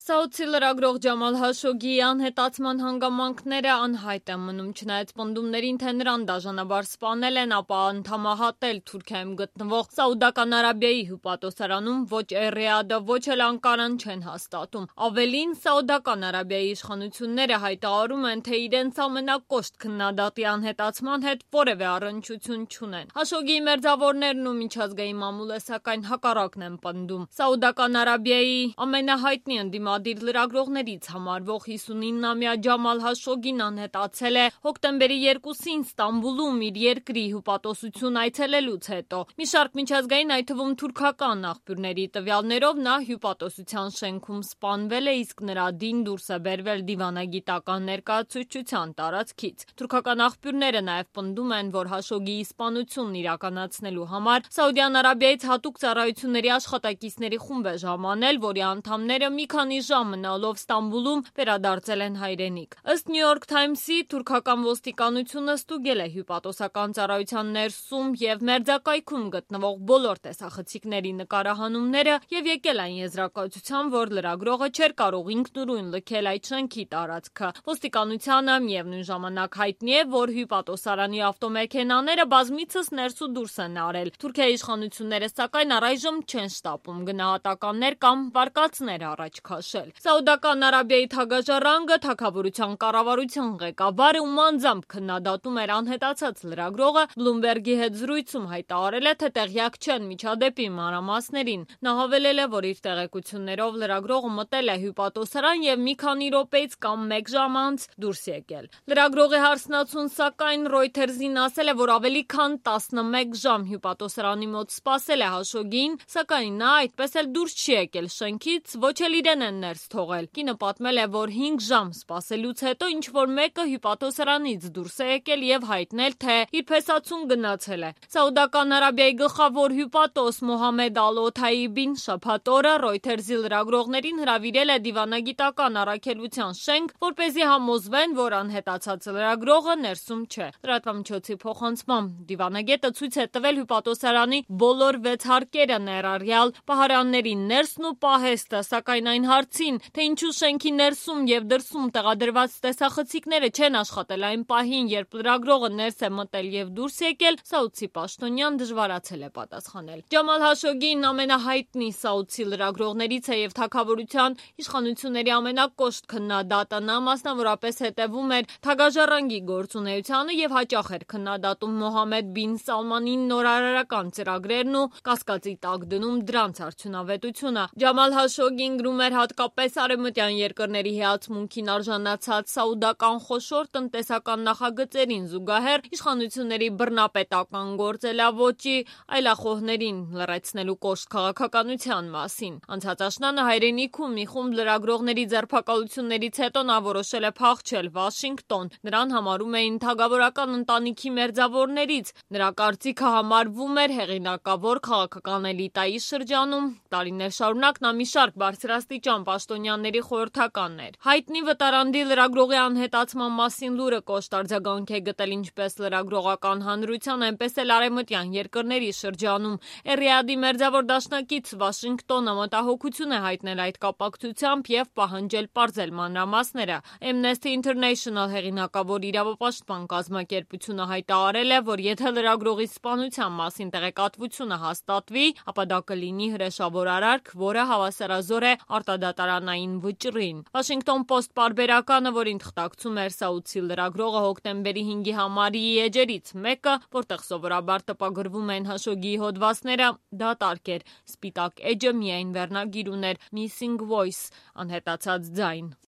Սաուդի լրագրող Ջամալ Հաշոգիի անհետացման հանգամանքները անհայտ են մնում, չնայած պնդումներին, թե նրան դաժանաբար սպանել են, ապա անդամահատել Թուրքիայում գտնվող Սաուդական Արաբիայի հյուպատոսարանում ոչ Ռիադը, ոչ էլ Անկարան չեն հաստատում։ Ավելին, Սաուդական Արաբիայի իշխանությունները հայտարարում են, թե իրենց ամենակոշտ քննադատի անհետացման հետ որևէ առնչություն չունեն։ Հաշոգիի մերձավորներն ու միջազգային մամուլը սակայն հակառակն են պնդում։ Սաուդական Արաբիայի ամենահայտնի ընդդիմադիր լրագրողներից համարվող 59-ամյա Ջամալ Հաշոգին անհետացել է հոկտեմբերի 2-ին Ստամբուլում իր երկրի հյուպատոսություն այցելելուց հետո։ Մի շարք միջազգային, այդ թվում թուրքական աղբյուրների տվյալներով նա հյուպատոսության շենքում սպանվել է, իսկ նրա դին դուրս է բերվել դիվանագիտական ներկայացուցչության տարածքից։ Թուրքական աղբյուրները նաև պնդում են, որ Հաշոգիի սպանությունն իրականացնելու համար Սաուդյան Արաբիայից հատուկ ծառայությունների աշխատակիցների խումբ է ժամանել, որի անդամները մի քանի ժամ մնալով Ստամբուլում վերադարձել են հայրենիք։ Ըստ New York Times-ի, թուրքական ոստիկանությունը ստուգել է հյուպատոսական ծառայության ներսում և մերձակայքում գտնվող բոլոր տեսախցիկների նկարահանումները և եկել այն եզրակացության, որ լրագրողը չէր կարող ինքնուրույն լքել այդ շենքի տարածքը։ Ոստիկանությանը միևնույն ժամանակ հայտնի է, որ հյուպատոսարանի ավտոմեքենաները բազմիցս ներս ու դուրս են արել։ Թուրքիայի իշխանությունները սակայն առայժմ չեն շտապում գնահատականներ կամ վարկածներ առաջ քաշել։ Սաուդական Արաբիայի թագաժառանգը թագավորության կառավարության ղեկավարը ում անձամբ քննադատում էր անհետացած լրագրողը, Bloomberg-ի հետ զրույցում հայտարարել է, թե տեղյակ չեն միջադեպի մանրամասներին։ Նա հավելել է, որ իր տեղեկություններով լրագրողը մտել է հյուպատոսարան և մի քանի րոպեից կամ 1 ժամ անց դուրս եկել։ Լրագրողի հարսնացուն սակայն Reuters-ին ասել է, որ ավելի քան 11 ժամ հյուպատոսարանի մոտ սպասել է Հաշոգիին, սակայն նա այդպես էլ դուրս չի եկել շենքից, ոչ էլ իրեն են ներս թողել։ Կինը պատմել է, որ 5 ժամ սպասելուց հետո ինչ-որ մեկը հյուպատոսարանից դուրս է եկել և հայտնել, թե իր փեսացուն գնացել է։ Սաուդական Արաբիայի գլխավոր հյուպատոս Մոհամմեդ Ալ-Օթայիբին շաբաթ օրը Reuters-ի լրագրողներին հրավիրել է դիվանագիտական առաքելության շենք, որպեսզի համոզվեն, որ անհետացած լրագրողը ներսում չէ։ Լրատվամիջոցի փոխանցմամբ դիվանագետը ցույց է տվել հյուպատոսարանի բոլոր 6 հարկերը, ներառյալ պահարանների ներսն ու պահեստը, սակայն այն հարցին, թե ինչու շենքի ներսում և դրսում տեղադրված տեսախցիկները չեն աշխատել այն պահին, երբ լրագրողը ներս է մտել և դուրս եկել, սաուդցի պաշտոնյան դժվարացել է պատասխանել։ Ջամալ Հաշոգին ամենահայտնի սաուդցի լրագրողներից է և թագավորության իշխանությունների ամենակոշտ քննադատը։ Նա մասնավորապես հետևում էր թագաժառանգի գործունեությանը և հաճախ էր քննադատում Մոհամմեդ բին Սալմանի նորարարական ծրագրերն ու կասկածի տակ դնում դրանց արդյունավետությունը։ Ջամալ Հաշոգին գրում էր հատկապես արևմտյան երկրների հիացմունքին արժանացած սաուդական խոշոր տնտեսական նախագծերին զուգահեռ իշխանությունների բռնապետական գործելավոճի, այլախոհներին լռեցնելու կոշտ քաղաքականության մասին։ Անցած աշնանը հայրենիքում մի խումբ լրագրողների ձերբակալություններից հետո նա որոշել է փախչել Վաշինգտոն։ Նրան համարում էին թագավորական ընտանիքի մերձավորներից։ Նրա կարծիքը համարվում էր հեղինակավոր քաղաքական էլիտայի շրջանում։ Տարիներ շարունակ նա մի շարք բարձրաստիճան պաշտոնյաների խորհրդականն էր։ Հայտնի վտարանդի լրագրողի անհետացման մասին լուրը կոշտ արձագանք է գտել ինչպես լրագրողական հանրության, այնպես էլ արևմտյան երկրների շրջանում։ Ռիադի մերձավոր դաշնակից Վաշինգտոնը մտահոգություն է հայտնել այդ կապակցությամբ և պահանջել պարզել մանրամասները։ Amnesty International հեղինակավոր իրավապաշտպան կազմակերպությունը հայտարարել է, որ եթե լրագրողի սպանության մասին տեղեկատվությունը հաստատվի, ապա դա կլինի հրեշավոր արարք, որը հավասարազոր է արտադատարանային վճռին։ Washington Post պարբերականը, որին թղթակցում էր սաուդցի լրագրողը, հոկտեմբերի 5-ի համարի էջերից մեկը, որտեղ սովորաբար տպագրվում են Հաշոգիի հոդվածները, դատարկ էր։ Սպիտակ էջը միայն վերնագիր ուներ Missing Voice, անհետացած ձայն։